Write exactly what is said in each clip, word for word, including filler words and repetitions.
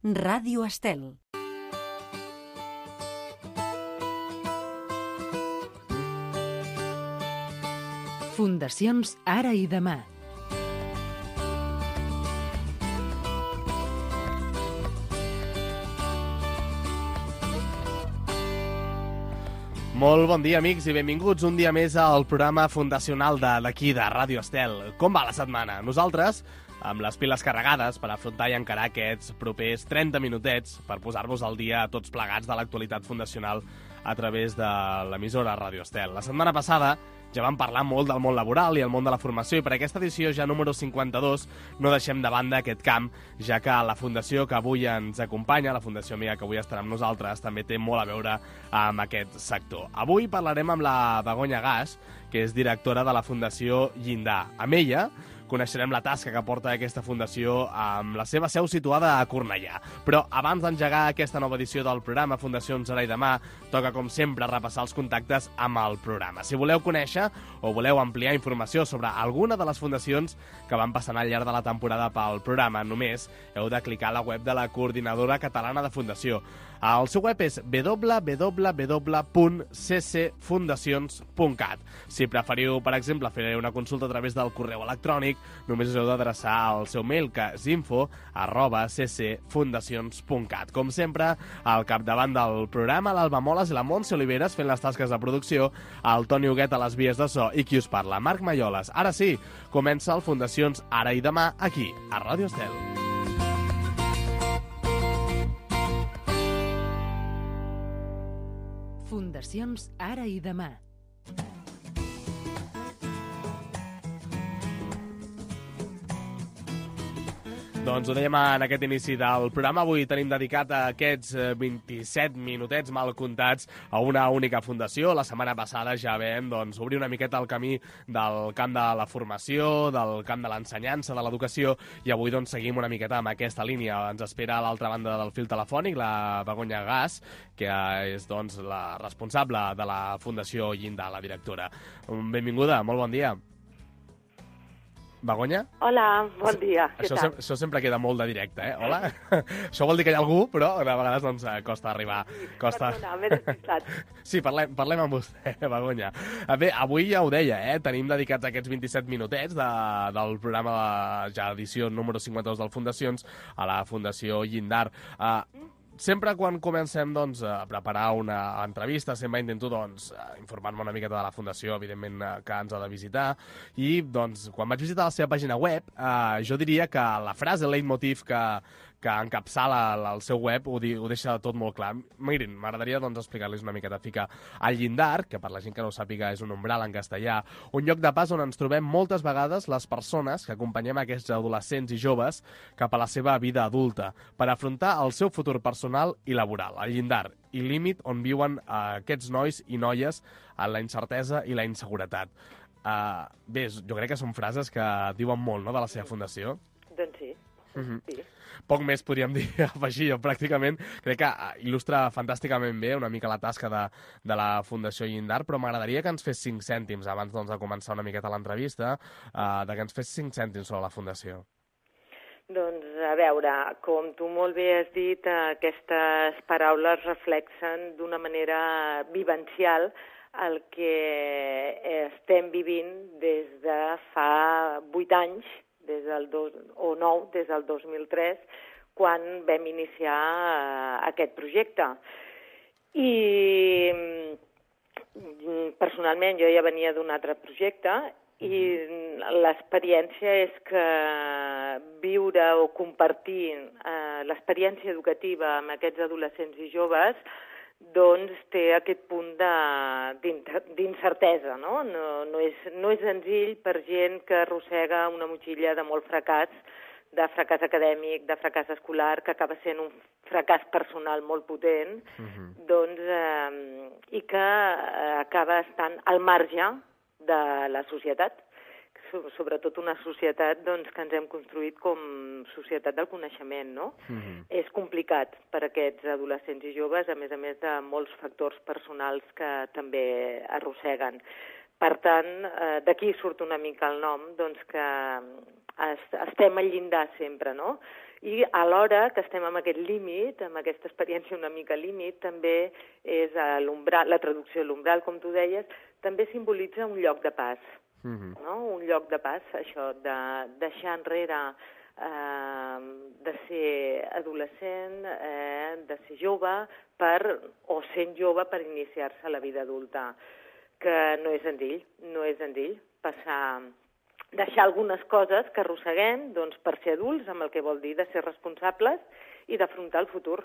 Ràdio Estel. Fundacions Ara i Demà. Molt bon dia, amics, i benvinguts un dia més al programa fundacional de d'aquí, de Ràdio Estel. Com va la setmana? Nosaltres, amb les piles carregades per afrontar i encarar aquests propers trenta minutets per posar-vos al dia tots plegats de l'actualitat fundacional a través de l'emissora Ràdio Estel. La setmana passada ja vam parlar molt del món laboral i el món de la formació, i per aquesta edició ja número cinquanta-dos no deixem de banda aquest camp, ja que la fundació que avui ens acompanya, la Fundació Amiga que avui estarà amb nosaltres, també té molt a veure amb aquest sector. Avui parlarem amb la Begoña Gas, que és directora de la Fundació Llindar. Amb ella coneixerem la tasca que porta aquesta fundació amb la seva seu situada a Cornellà. Però abans d'engegar aquesta nova edició del programa Fundacions Ara i Demà, toca, com sempre, repassar els contactes amb el programa. Si voleu conèixer o voleu ampliar informació sobre alguna de les fundacions que van passant al llarg de la temporada pel programa, només heu de clicar a la web de la Coordinadora Catalana de Fundació. El seu web és w w w punt c c fundacions punt cat. Si preferiu, per exemple, fer una consulta a través del correu electrònic, només us heu d'adreçar al seu mail, que és info arroba c c fundacions punt cat. Com sempre, al capdavant del programa, l'Alba Moles i la Montse Oliveres fent les tasques de producció, el Toni Huguet a les vies de so i qui us parla, Marc Malloles. Ara sí, comença el Fundacions Ara i Demà, aquí, a Ràdio Estel. Fundacions Ara i Demà. Doncs ho dèiem en aquest inici del programa. Avui tenim dedicat a aquests vint-i-set minutets mal comptats a una única fundació. La setmana passada ja vam doncs, obrir una miqueta el camí del camp de la formació, del camp de l'ensenyança, de l'educació, i avui doncs, seguim una miqueta amb aquesta línia. Ens espera a l'altra banda del fil telefònic la Begoña Gas, que és doncs, la responsable de la Fundació Llindar, la directora. Benvinguda, molt bon dia. Begoña? Hola, bon dia. Això, sem això sempre queda molt de directe, eh? Hola? Això vol dir que hi ha algú, però de vegades doncs, costa arribar. Costa... Perdona, m'he despistat. Sí, parlem, parlem amb vostè, Begoña. Bé, avui ja ho deia, eh? Tenim dedicats aquests vint-i-set minutets de, del programa de, ja edició número cinquanta-dos del Fundacions a la Fundació Llindar. Uh, Sempre quan comencem doncs, a preparar una entrevista, sempre intento doncs, informar-me una miqueta de la Fundació, evidentment que ens ha de visitar, i doncs, quan vaig visitar la seva pàgina web, eh, jo diria que la frase, el leitmotiv que, que encapçala el seu web ho, di, ho deixa tot molt clar. Mirin, m'agradaria doncs, explicar-los una miqueta. Fica al llindar, que per la gent que no ho sàpiga és un umbral en castellà, un lloc de pas on ens trobem moltes vegades les persones que acompanyem aquests adolescents i joves cap a la seva vida adulta per afrontar el seu futur personal i laboral. Al llindar, i límit on viuen uh, aquests nois i noies en la incertesa i la inseguretat. Uh, bé, jo crec que són frases que diuen molt, no?, de la seva fundació. Doncs sí. Uh-huh. Sí. Poc més podríem dir, afegir jo, pràcticament. Crec que il·lustra fantàsticament bé una mica la tasca de, de la Fundació Llindar, però m'agradaria que ens fes cinc cèntims, abans doncs, de començar una miqueta l'entrevista, uh, de que ens fes cinc cèntims sobre la Fundació. Doncs, a veure, com tu molt bé has dit, aquestes paraules reflexen d'una manera vivencial el que estem vivint des de fa vuit anys, des del dos, o nou, des del dos mil tres, quan vam iniciar aquest projecte. I personalment jo ja venia d'un altre projecte i l'experiència és que viure o compartir eh, l'experiència educativa amb aquests adolescents i joves doncs té aquest punt d'incertesa, no? No, no, és, no és senzill per gent que arrossega una motxilla de molt fracàs, de fracàs acadèmic, de fracàs escolar, que acaba sent un fracàs personal molt potent, uh-huh. doncs, eh, i que acaba estant al marge de la societat. Sobretot una societat doncs, que ens hem construït com societat del coneixement, no? Mm-hmm. És complicat per a aquests adolescents i joves, a més a més de molts factors personals que també arrosseguen. Per tant, eh, d'aquí surt una mica el nom, doncs que estem al llindar sempre, no? I alhora que estem amb aquest límit, amb aquesta experiència una mica límit, també és l'umbral, la traducció de l'umbral, com tu deies, també simbolitza un lloc de pas, mm-hmm. no? Un lloc de pas, això, de deixar enrere eh, de ser adolescent, eh, de ser jove, per, o sent jove per iniciar-se a la vida adulta, que no és senzill, no és senzill passar... deixar algunes coses que arrosseguem doncs, per ser adults, amb el que vol dir de ser responsables i d'afrontar el futur.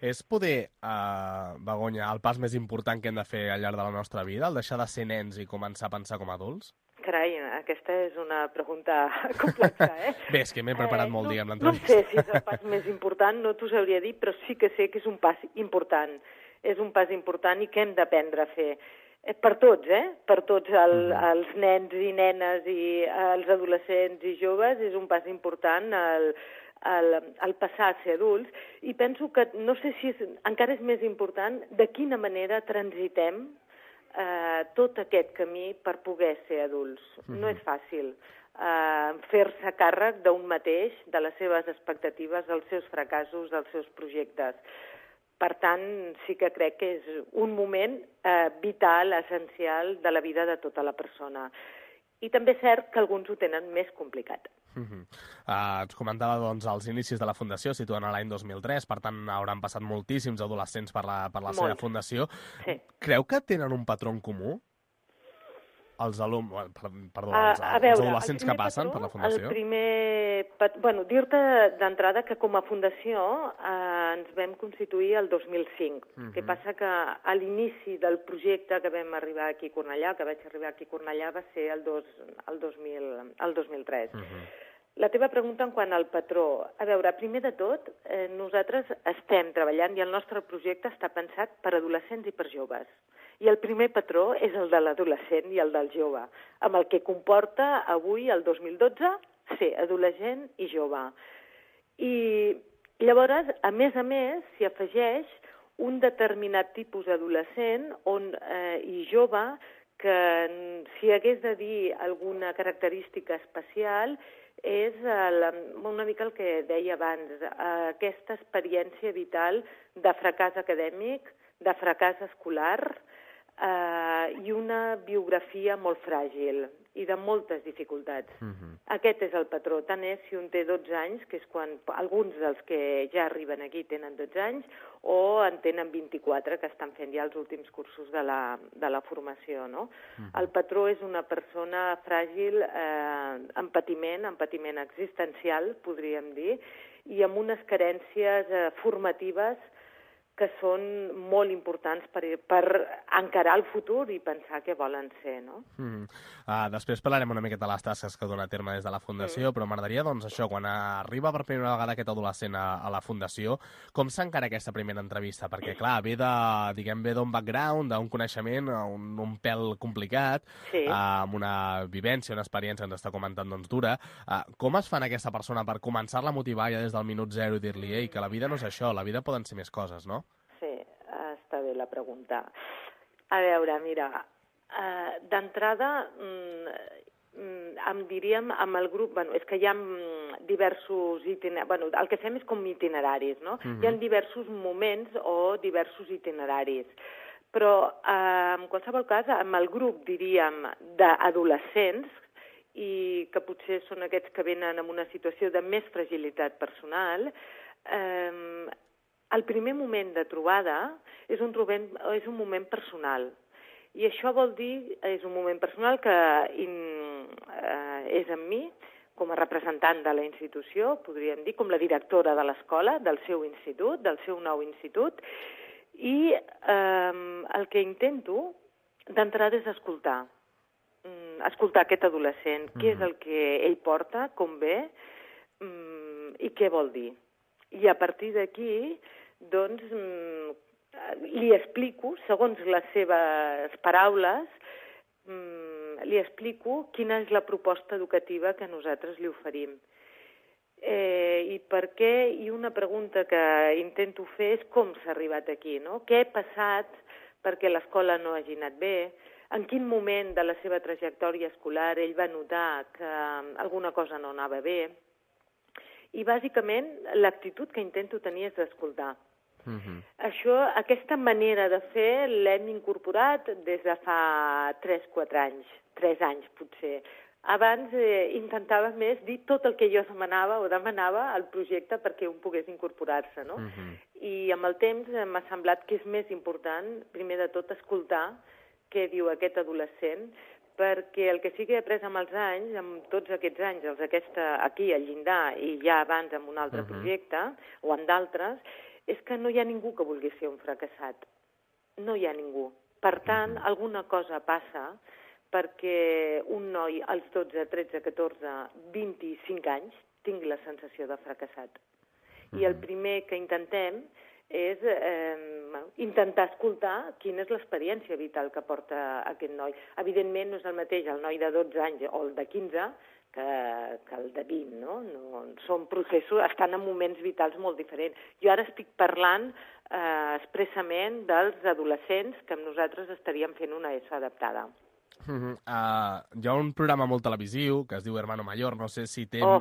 És poder, eh, Begoña, el pas més important que hem de fer al llarg de la nostra vida, el deixar de ser nens i començar a pensar com a adults? Carai, aquesta és una pregunta complexa, eh? Bé, és que m'he preparat eh, molt, no, diguem, l'entrevista. No sé si és el pas més important, no t'ho sabria dir, però sí que sé que és un pas important. És un pas important i que hem d'aprendre a fer. Per tots, eh? Per tots el, els nens i nenes i els adolescents i joves és un pas important el, el, el passar a ser adults i penso que, no sé si és, encara és més important de quina manera transitem eh, tot aquest camí per poder ser adults. Uh-huh. No és fàcil eh, fer-se càrrec d'un mateix, de les seves expectatives, dels seus fracassos, dels seus projectes. Per tant, sí que crec que és un moment eh, vital, essencial de la vida de tota la persona. I també és cert que alguns ho tenen més complicat. Uh-huh. uh, ens comentava doncs, els inicis de la Fundació, situen a l'any dos mil tres, per tant hauran passat moltíssims adolescents per la, per la seva fundació. Sí. Creu que tenen un patró en comú? Els alumnes, perdó, els, a, a veure, els adolescents que passen patró, per la Fundació? El primer... Bueno, dir-te d'entrada que com a Fundació eh, ens vam constituir el dos mil cinc. Uh-huh. El que passa que a l'inici del projecte que vam arribar aquí a Cornellà, que vaig arribar aquí a Cornellà, va ser el, dos, el, dos, mil, el dos mil tres. Uh-huh. La teva pregunta en quant al patró. A veure, primer de tot, eh, nosaltres estem treballant i el nostre projecte està pensat per adolescents i per joves. I el primer patró és el de l'adolescent i el del jove, amb el que comporta avui, el dos mil dotze, ser adolescent i jove. I llavors, a més a més, s'hi afegeix un determinat tipus d'adolescent on, eh, i jove que, si hagués de dir alguna característica especial, és el, una mica el que deia abans, aquesta experiència vital de fracàs acadèmic, de fracàs escolar, Uh, i una biografia molt fràgil i de moltes dificultats. Uh-huh. Aquest és el patró. Tant és si un té dotze anys, que és quan alguns dels que ja arriben aquí tenen dotze anys, o en tenen vint-i-quatre, que estan fent ja els últims cursos de la, de la formació. No? Uh-huh. El patró és una persona fràgil, eh, amb patiment, amb patiment existencial, podríem dir, i amb unes carències eh, formatives que són molt importants per, per encarar el futur i pensar què volen ser, no? Mm. Uh, després parlarem una miqueta de les tasques que dona a terme des de la Fundació, mm. però m'agradaria, doncs, això, quan arriba per primera vegada aquest adolescent a, a la Fundació, com s'encara aquesta primera entrevista? Perquè, clar, ve de, diguem, ve d'un background, d'un coneixement, un, un pèl complicat, sí. uh, amb una vivència, una experiència, ens està comentant, doncs, dura. Uh, com es fan aquesta persona per començar-la a motivar ja des del minut zero i dir-li, ei, que la vida no és això, la vida poden ser més coses, no? Sí, està bé la pregunta. A veure, mira, eh, d'entrada, mm, em diríem amb el grup, bueno, és que hi ha diversos itineraris, bueno, el que fem és com itineraris, no? Uh-huh. Hi ha diversos moments o diversos itineraris, però eh, en qualsevol cas, amb el grup, diríem, d'adolescents, i que potser són aquests que venen en una situació de més fragilitat personal, eh, el primer moment de trobada és un, trobem, és un moment personal. I això vol dir, és un moment personal que in, eh, és amb mi, com a representant de la institució, podríem dir, com la directora de l'escola, del seu institut, del seu nou institut, i eh, el que intento d'entrada és escoltar. Mm, escoltar aquest adolescent, mm-hmm. què és el que ell porta, com ve, mm, i què vol dir. I a partir d'aquí, doncs, li explico, segons les seves paraules, li explico quina és la proposta educativa que nosaltres li oferim. Eh, I per què? I una pregunta que intento fer és com s'ha arribat aquí, no? Què ha passat perquè l'escola no hagi anat bé? En quin moment de la seva trajectòria escolar ell va notar que alguna cosa no anava bé? I bàsicament l'actitud que intento tenir és d'escoltar. Uh-huh. Això, aquesta manera de fer l'hem incorporat des de fa tres quatre anys, tres anys potser. Abans eh, intentava més dir tot el que jo demanava o demanava al projecte perquè un pogués incorporar-se, no? Uh-huh. I amb el temps m'ha semblat que és més important, primer de tot, escoltar què diu aquest adolescent, perquè el que sí que he après amb els anys, amb tots aquests anys, els aquesta, aquí al llindar i ja abans amb un altre uh-huh. projecte, o amb d'altres, és que no hi ha ningú que vulgui ser un fracassat. No hi ha ningú. Per tant, uh-huh. alguna cosa passa perquè un noi als dotze, tretze, catorze, vint-i-cinc anys tingui la sensació de fracassat. Uh-huh. I el primer que intentem és eh, intentar escoltar quina és l'experiència vital que porta aquest noi. Evidentment no és el mateix el noi de dotze anys o el de quinze que, que el de vint, no? no són processos, estan en moments vitals molt diferents. Jo ara estic parlant eh, expressament dels adolescents que amb nosaltres estaríem fent una ESO adaptada. Uh-huh. Uh, hi ha un programa molt televisiu que es diu Hermano Mayor, no sé si té... Oh.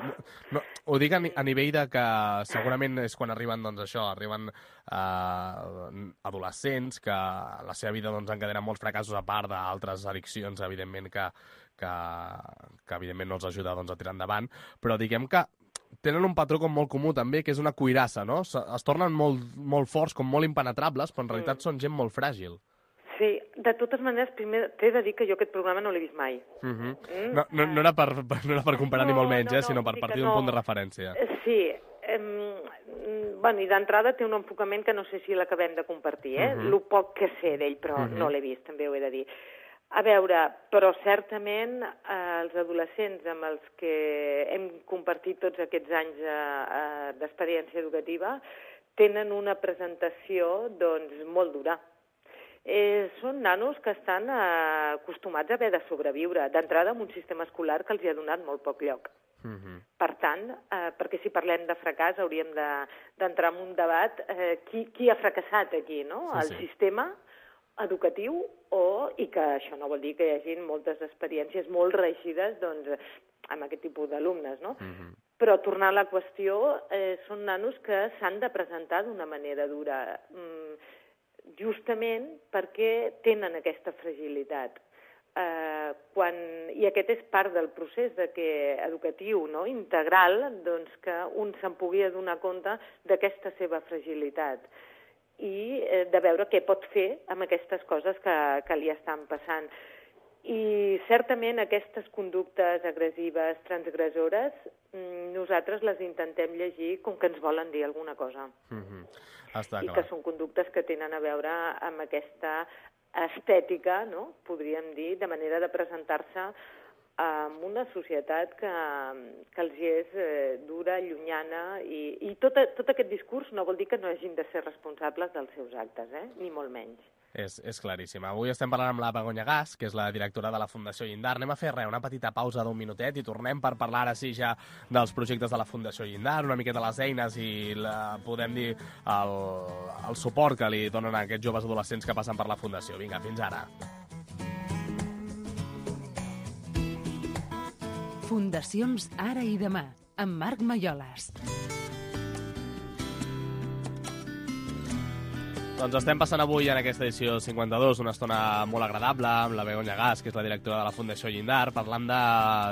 No, ho dic a, a nivell de que segurament és quan arriben, doncs això, arriben uh, adolescents que la seva vida doncs, encadenen molts fracassos a part d'altres addiccions, evidentment, que, que, que evidentment no els ajuda doncs, a tirar endavant, però diguem que tenen un patró com molt comú també, que és una cuirassa, no? Es tornen molt, molt forts, com molt impenetrables, però en realitat mm. són gent molt fràgil. Sí, de totes maneres, primer t'he de dir que jo aquest programa no l'he vist mai. Uh -huh. mm? no, no, no, era per, no era per comparar no, ni molt menys, no, eh, sinó per partir d'un no. punt de referència. Sí, eh, bueno, i d'entrada té un enfocament que no sé si l'acabem de compartir, eh? Uh -huh. Lo poc que sé d'ell, però uh -huh. no l'he vist, també ho he de dir. A veure, però certament eh, els adolescents amb els que hem compartit tots aquests anys eh, eh, d'experiència educativa tenen una presentació, doncs, molt dura. Eh, són nanos que estan eh, acostumats a haver de sobreviure, d'entrada amb un sistema escolar que els hi ha donat molt poc lloc. Uh-huh. Per tant, eh, perquè si parlem de fracàs hauríem d'entrar de, en un debat eh, qui, qui ha fracassat aquí, no? Sí, el sí. sistema educatiu o, i que això no vol dir que hi hagi moltes experiències molt reeixides doncs, amb aquest tipus d'alumnes, no? Uh-huh. Però tornant a la qüestió, eh, són nanos que s'han de presentar d'una manera dura, mm, justament perquè tenen aquesta fragilitat. Eh, quan, I aquest és part del procés de que, educatiu, no? integral, doncs que un se'n pugui adonar compte d'aquesta seva fragilitat i eh, de veure què pot fer amb aquestes coses que, que li estan passant. I certament aquestes conductes agressives, transgressores, nosaltres les intentem llegir com que ens volen dir alguna cosa. Mm-hmm. Està I clar. que són conductes que tenen a veure amb aquesta estètica, no? Podríem dir, de manera de presentar-se en una societat que, que els és eh, dura, llunyana, i, i tot, tot aquest discurs no vol dir que no hagin de ser responsables dels seus actes, eh? Ni molt menys. És, és claríssim. Avui estem parlant amb la Begoña Gas, que és la directora de la Fundació Llindar. Anem a fer res, una petita pausa d'un minutet i tornem per parlar ara sí ja dels projectes de la Fundació Llindar, una miqueta les eines i, la, podem dir, el, el suport que li donen a aquests joves adolescents que passen per la Fundació. Vinga, fins ara. Fundacions Ara i Demà, amb Marc Maiolas. Doncs estem passant avui en aquesta edició cinquanta-dos una estona molt agradable amb la Begoña Gas, que és la directora de la Fundació Llindar, parlant de,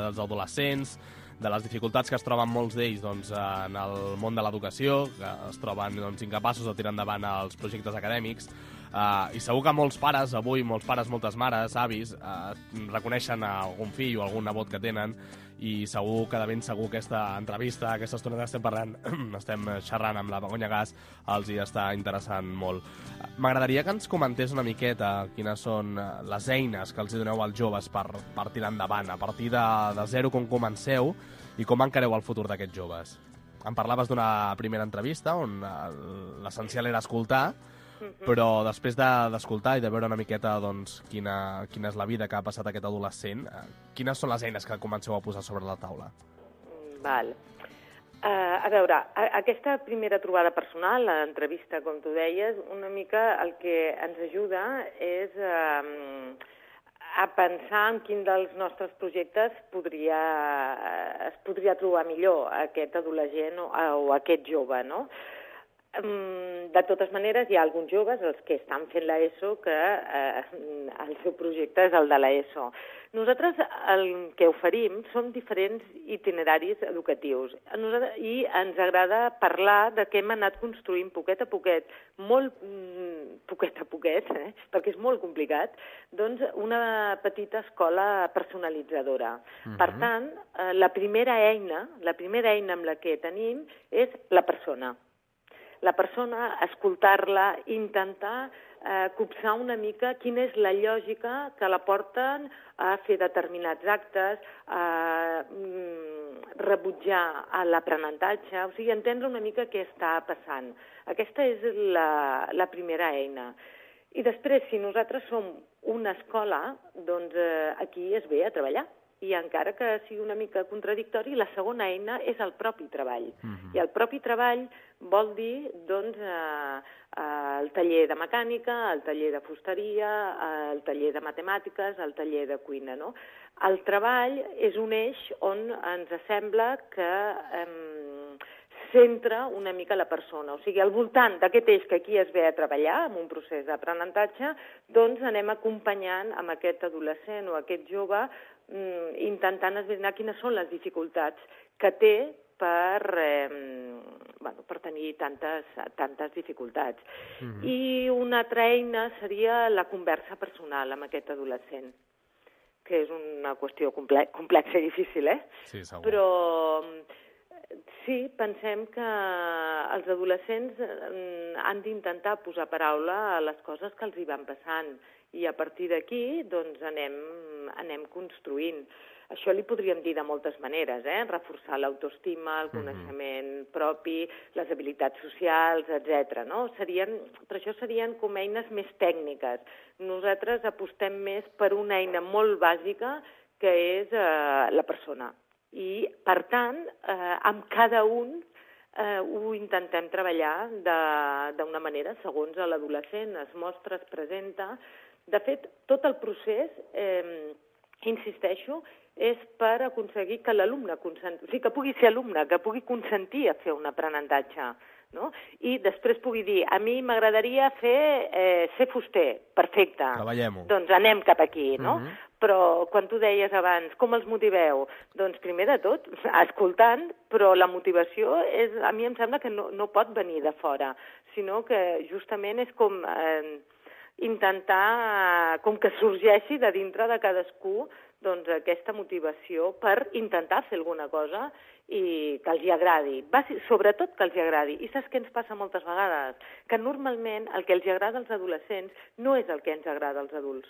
dels adolescents, de les dificultats que es troben molts d'ells doncs, en el món de l'educació, que es troben doncs, incapaços de tirar endavant els projectes acadèmics. Uh, I segur que molts pares, avui, molts pares, moltes mares, avis, uh, reconeixen algun fill o algun nebot que tenen, i segur que de ben segur aquesta entrevista, aquesta estona que estem parlant, estem xerrant amb la Begoña Gas, els hi està interessant molt. M'agradaria que ens comentés una miqueta quines són les eines que els doneu als joves per, per tirar endavant, a partir de, de zero com comenceu i com encareu el futur d'aquests joves. Em parlaves d'una primera entrevista on l'essencial era escoltar, però després d'escoltar de, i de veure una miqueta doncs, quina, quina és la vida que ha passat aquest adolescent, eh, quines són les eines que comenceu a posar sobre la taula? Val. Uh, a veure, a, aquesta primera trobada personal, l'entrevista, com tu deies, una mica el que ens ajuda és uh, a pensar en quin dels nostres projectes podria, es podria trobar millor aquest adolescent o, o aquest jove, no? De totes maneres, hi ha alguns joves, els que estan fent l'ESO, que eh, el seu projecte és el de l'ESO. Nosaltres el que oferim són diferents itineraris educatius i ens agrada parlar de què hem anat construint poquet a poquet, molt poquet a poquet, eh, perquè és molt complicat, doncs una petita escola personalitzadora. Uh-huh. Per tant, eh, la primera eina, la primera eina amb la que tenim és la persona. La persona, escoltar-la, intentar eh, copsar una mica quina és la lògica que la porten a fer determinats actes, a mm, rebutjar l'aprenentatge, o sigui, entendre una mica què està passant. Aquesta és la, la primera eina. I després, si nosaltres som una escola, doncs eh, aquí es ve a treballar. I encara que sigui una mica contradictori, la segona eina és el propi treball. Uh-huh. I el propi treball vol dir, doncs, eh, el taller de mecànica, el taller de fusteria, el taller de matemàtiques, el taller de cuina, no? El treball és un eix on ens sembla que eh, centra una mica la persona. O sigui, al voltant d'aquest eix que aquí es ve a treballar, en un procés d'aprenentatge, doncs anem acompanyant amb aquest adolescent o aquest jove intentant esbrinar quines són les dificultats que té per, eh, bueno, per tenir tantes, tantes dificultats. Mm-hmm. I una altra eina seria la conversa personal amb aquest adolescent, que és una qüestió comple complexa i difícil, eh? Sí, segur. Però sí, pensem que els adolescents han d'intentar posar paraula a les coses que els hi van passant i a partir d'aquí doncs, anem, anem construint. Això li podríem dir de moltes maneres, eh? Reforçar l'autoestima, el coneixement mm-hmm. propi, les habilitats socials, etcètera. No? Serien, però això serien com eines més tècniques. Nosaltres apostem més per una eina molt bàsica que és eh, la persona. I, per tant, eh, amb cada un eh, ho intentem treballar d'una manera segons l'adolescent es mostra, es presenta. De fet, tot el procés, eh, insisteixo, és per aconseguir que l'alumne consenti, o sigui, que pugui ser alumne, que pugui consentir a fer un aprenentatge, no? I després pugui dir, a mi m'agradaria fer eh, ser fuster, perfecte. Treballem-ho. Doncs anem cap aquí, no? Uh-huh. Però quan tu deies abans, com els motiveu? Doncs primer de tot, escoltant, però la motivació és, a mi em sembla que no, no pot venir de fora, sinó que justament és com eh, intentar, com que sorgeixi de dintre de cadascú doncs, aquesta motivació per intentar fer alguna cosa i que els hi agradi, sobretot que els hi agradi. I saps què ens passa moltes vegades? Que normalment el que els hi agrada als adolescents no és el que ens agrada als adults.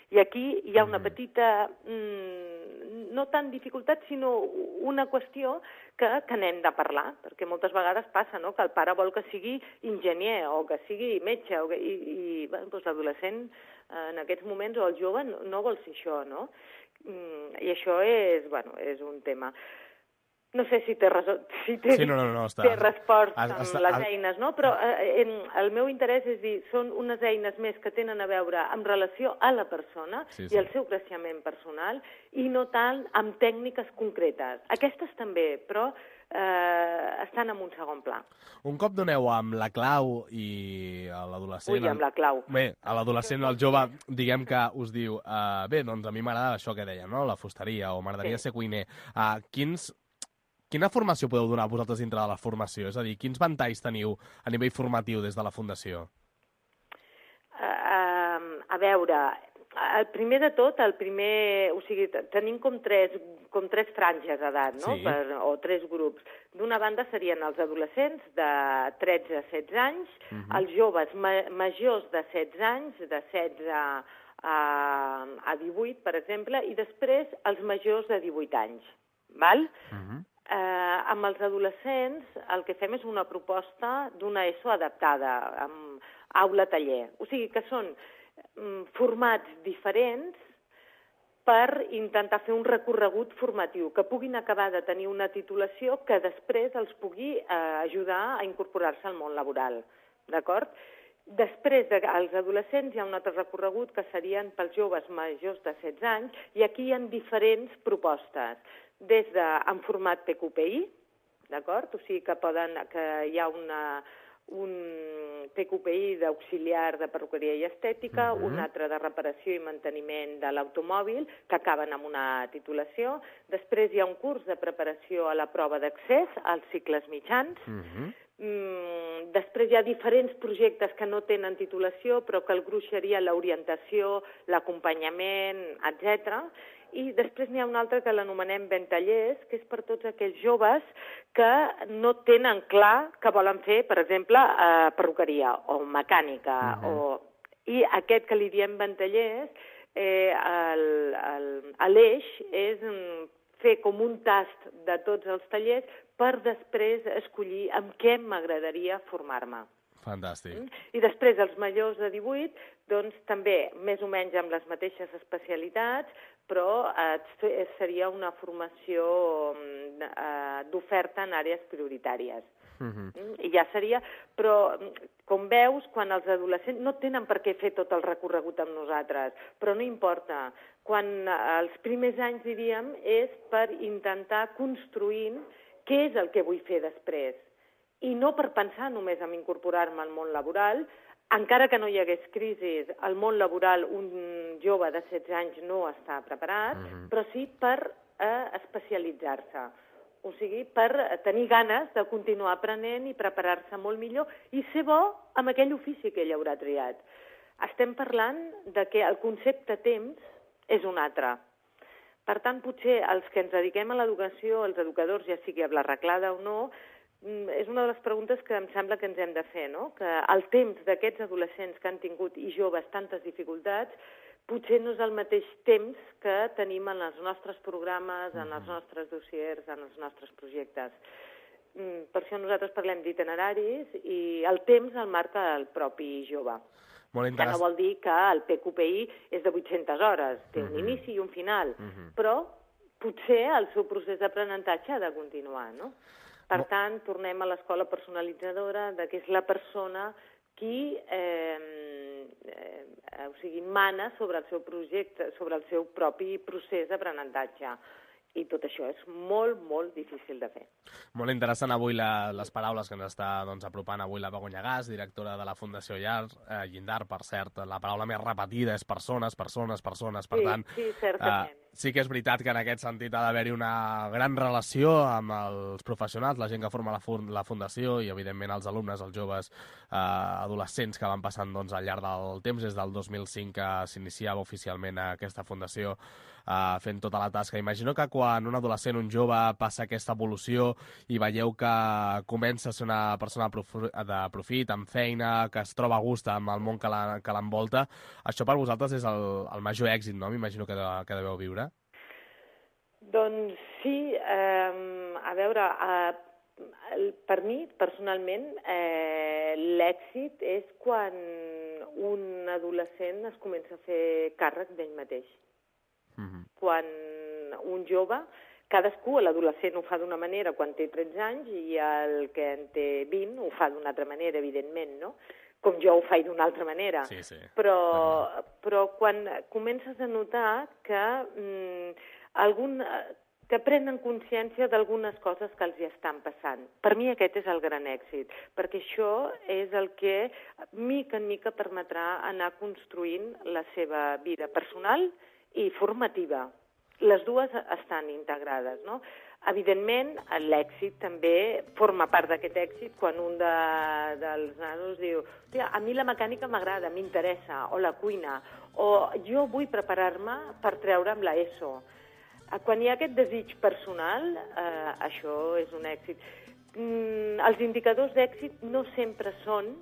I aquí hi ha una petita, mmm, no tant dificultat, sinó una qüestió que, que n'hem de parlar, perquè moltes vegades passa, no?, que el pare vol que sigui enginyer o que sigui metge, o que, i, i bueno, doncs l'adolescent en aquests moments o el jove no, no vol ser això, no? I això és, bueno, és un tema. No sé si té, si té, sí, no, no, no, està. té respost amb està, les està. eines, no? Però eh, el meu interès és dir, són unes eines més que tenen a veure amb relació a la persona sí, sí. i al seu creixement personal i no tant amb tècniques concretes. Aquestes també, però eh, estan en un segon pla. Un cop doneu amb la clau i a l'adolescent... Ui, amb la clau. Bé, a l'adolescent, el jove, diguem que us diu uh, bé, doncs a mi m'agrada això que deia, no?, la fusteria, o m'agradaria sí. ser cuiner. Uh, quins... Quina formació podeu donar vosaltres dintre de la formació? És a dir, quins ventalls teniu a nivell formatiu des de la Fundació? Uh, uh, a veure, el primer de tot, el primer, o sigui, tenim com tres, com tres franges d'edat, no? Sí. Per, o tres grups. D'una banda serien els adolescents de tretze a setze anys, uh-huh. els joves ma majors de setze anys, de setze a, a divuit, per exemple, i després els majors de divuit anys. Val? Uh-huh. Eh, amb els adolescents el que fem és una proposta d'una ESO adaptada, amb aula-taller. O sigui que són mm, formats diferents per intentar fer un recorregut formatiu, que puguin acabar de tenir una titulació que després els pugui eh, ajudar a incorporar-se al món laboral. D'acord? Després dels adolescents hi ha un altre recorregut que serien pels joves majors de setze anys, i aquí hi ha diferents propostes, des de en format P Q P I, d'acord? O sigui que, poden, que hi ha una, un P Q P I d'auxiliar de perruqueria i estètica, uh-huh. un altre de reparació i manteniment de l'automòbil, que acaben amb una titulació. Després hi ha un curs de preparació a la prova d'accés als cicles mitjans. Uh-huh. Mm, després hi ha diferents projectes que no tenen titulació, però que el gruix seria l'orientació, l'acompanyament, etcètera. I després n'hi ha un altre que l'anomenem Ventallers, que és per tots aquells joves que no tenen clar que volen fer, per exemple, eh, perruqueria o mecànica. Uh-huh. o... I aquest que li diem Ventallers, eh, l'eix és fer com un tast de tots els tallers per després escollir amb què m'agradaria formar-me. Fantàstic. I després, els majors de divuit, doncs també més o menys amb les mateixes especialitats, però eh, seria una formació eh, d'oferta en àrees prioritàries. Uh-huh. I ja seria... Però, com veus, quan els adolescents no tenen per què fer tot el recorregut amb nosaltres, però no importa. Quan els primers anys, diríem, és per intentar construint què és el que vull fer després. I no per pensar només en incorporar-me al món laboral. Encara que no hi hagués crisi, al món laboral un jove de setze anys no està preparat, uh-huh. però sí per eh, especialitzar-se. O sigui, per tenir ganes de continuar aprenent i preparar-se molt millor i ser bo amb aquell ofici que ell haurà triat. Estem parlant de que el concepte temps és un altre. Per tant, potser els que ens dediquem a l'educació, els educadors, ja sigui a l'arreglada o no, és una de les preguntes que em sembla que ens hem de fer, no? Que el temps d'aquests adolescents que han tingut i joves tantes dificultats potser no és el mateix temps que tenim en els nostres programes, en els nostres dossiers, en els nostres projectes. Per això nosaltres parlem d'itineraris i el temps el marca el propi jove. Molt que no vol dir que el P Q P I és de vuit-centes hores, té un uh-huh. inici i un final, uh-huh. però potser el seu procés d'aprenentatge ha de continuar, no? Per tant, tornem a l'escola personalitzadora, de que és la persona qui eh, eh, o sigui, mana sobre el seu projecte, sobre el seu propi procés d'aprenentatge. I tot això és molt, molt difícil de fer. Molt interessant avui la, les paraules que ens està doncs, apropant avui la Begoña Gas, directora de la Fundació Llar, eh, Llindar, per cert. La paraula més repetida és persones, persones, persones. Per sí, tant, sí, certament. Eh, sí que és veritat que en aquest sentit ha d'haver-hi una gran relació amb els professionals, la gent que forma la, fund la Fundació i, evidentment, els alumnes, els joves eh, adolescents que van passant doncs, al llarg del temps. Des del dos mil cinc que s'iniciava oficialment aquesta Fundació Uh, fent tota la tasca. Imagino que quan un adolescent, un jove, passa aquesta evolució i veieu que comença a ser una persona de profit, amb feina, que es troba a gust amb el món que l'envolta, això per vosaltres és el, el major èxit, no? M'imagino que, de, que deveu viure. Doncs sí, eh, a veure, eh, per mi, personalment, eh, l'èxit és quan un adolescent es comença a fer càrrec d'ell mateix. Uh-huh. Quan un jove, cadascú, l'adolescent ho fa d'una manera quan té tretze anys i el que en té vint ho fa d'una altra manera, evidentment, no? Com jo ho faig d'una altra manera. Sí, sí. Però, però quan comences a notar que, mm, algun, que prenen consciència d'algunes coses que els hi estan passant. Per mi aquest és el gran èxit, perquè això és el que mica en mica permetrà anar construint la seva vida personal i formativa. Les dues estan integrades, no? Evidentment, l'èxit també forma part d'aquest èxit quan un de, dels nanos diu a mi la mecànica m'agrada, m'interessa, o la cuina, o jo vull preparar-me per treure'm la ESO. Quan hi ha aquest desig personal, eh, això és un èxit. Mm, els indicadors d'èxit no sempre són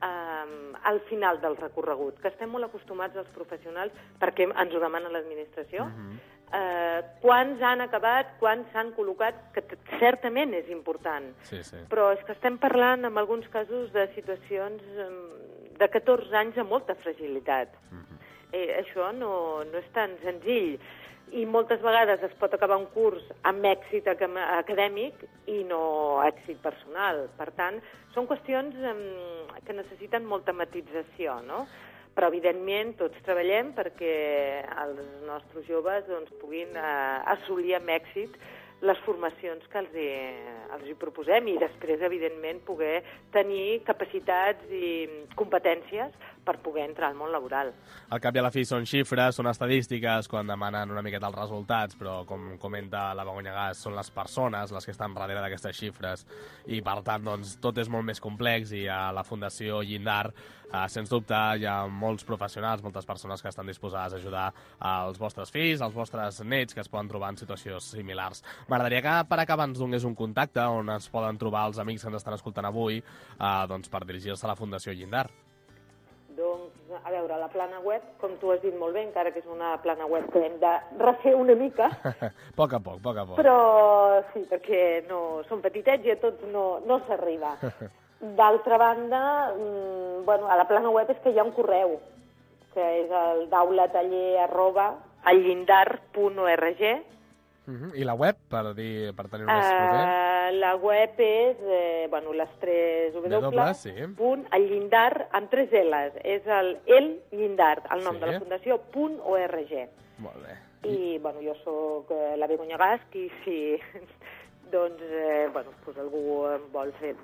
Um, al final del recorregut, que estem molt acostumats els professionals perquè ens ho demana l'administració. Uh-huh. uh, quants han acabat, quants s'han col·locat, que certament és important. Sí, sí. Però és que estem parlant en alguns casos de situacions um, de catorze anys amb molta fragilitat. Uh-huh. eh, això no, no és tan senzill. i moltes vegades es pot acabar un curs amb èxit acadèmic i no èxit personal. Per tant, són qüestions que necessiten molta matització, no? Però, evidentment, tots treballem perquè els nostres joves doncs, puguin eh, assolir amb èxit les formacions que els hi, els hi proposem i després, evidentment, poder tenir capacitats i competències per poder entrar al món laboral. Al cap i a la fi són xifres, són estadístiques, quan demanen una miqueta els resultats, però, com comenta la Begoña Gas, són les persones les que estan darrere d'aquestes xifres i, per tant, doncs, tot és molt més complex i a la Fundació Llindar, eh, sens dubte, hi ha molts professionals, moltes persones que estan disposades a ajudar als vostres fills, als vostres nets que es poden trobar en situacions similars. M'agradaria que, per acabar, ens donés un contacte on es poden trobar els amics que ens estan escoltant avui eh, doncs, per dirigir-se a la Fundació Llindar. Doncs, a veure, la plana web, com tu has dit molt bé, encara que és una plana web que hem de refer una mica. A poc a poc, a poc a poc. Però sí, perquè no, són petitets i a tots no, no s'arriba. D'altra banda, mmm, bueno, a la plana web és que hi ha un correu, que és el daulataller arroba allindar punt org. Uh-huh. I la web, per, dir, per tenir més proper? Uh, la web és, eh, bueno, les tres W, w sí. punt, el llindar, amb tres L's. És el el llindar, el nom sí. de la fundació, punt org. Molt bé. I, I bueno, jo sóc eh, la Begoña Gas, i si doncs, eh, bueno, pues algú vol, fer,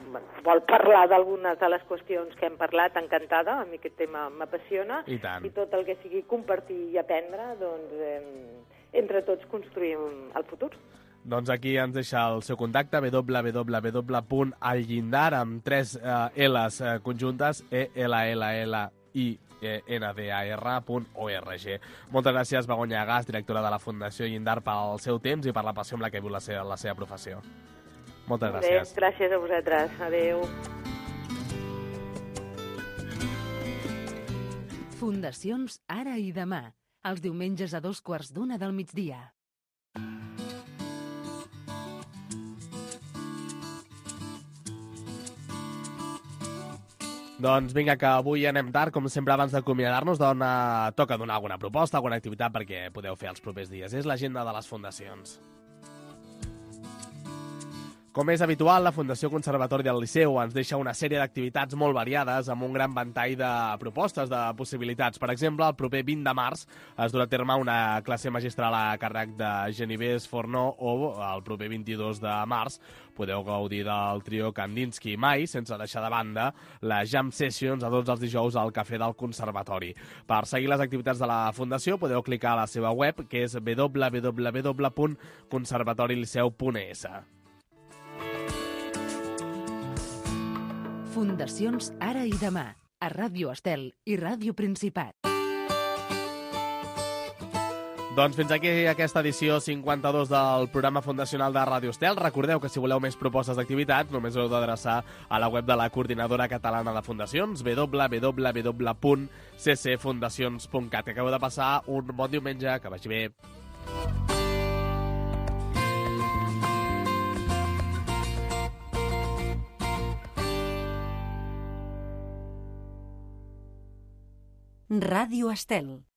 vol parlar d'algunes de les qüestions que hem parlat, encantada, a mi aquest tema m'apassiona. I tant. I tot el que sigui compartir i aprendre, doncs... Eh, entre tots construïm el futur. Doncs aquí ens deixa el seu contacte, w w w punt allindar, amb tres eh, L's eh, conjuntes, e l l l i n d a r punt org. Moltes gràcies, Begoña Gas, directora de la Fundació Llindar, pel seu temps i per la passió amb la que viu la seva, la seva professió. Moltes gràcies. Bé, gràcies a vosaltres. Adéu. Fundacions Ara i Demà, els diumenges a dos quarts d'una del migdia. Doncs vinga, que avui anem tard, com sempre abans d'acomiadar-nos, dona... toca donar alguna proposta, alguna activitat perquè podeu fer els propers dies. És l'agenda de les fundacions. Com és habitual, la Fundació Conservatori del Liceu ens deixa una sèrie d'activitats molt variades amb un gran ventall de propostes, de possibilitats. Per exemple, el proper vint de març es durà a terme una classe magistral a càrrec de Geneviève Fornó o el proper vint-i-dos de març podeu gaudir del trio Kandinsky mai, sense deixar de banda les jam sessions a tots els dijous al Cafè del Conservatori. Per seguir les activitats de la Fundació podeu clicar a la seva web, que és w w w punt conservatoriliceu punt e s. Fundacions Ara i Demà, a Ràdio Estel i Ràdio Principat. Doncs fins aquí aquesta edició cinquanta-dos del programa fundacional de Ràdio Estel. Recordeu que si voleu més propostes d'activitats només heu d'adreçar a la web de la Coordinadora Catalana de Fundacions, w w w punt c c fundacions punt cat. Acabeu de passar un bon diumenge, que vagi bé. Ràdio Estel.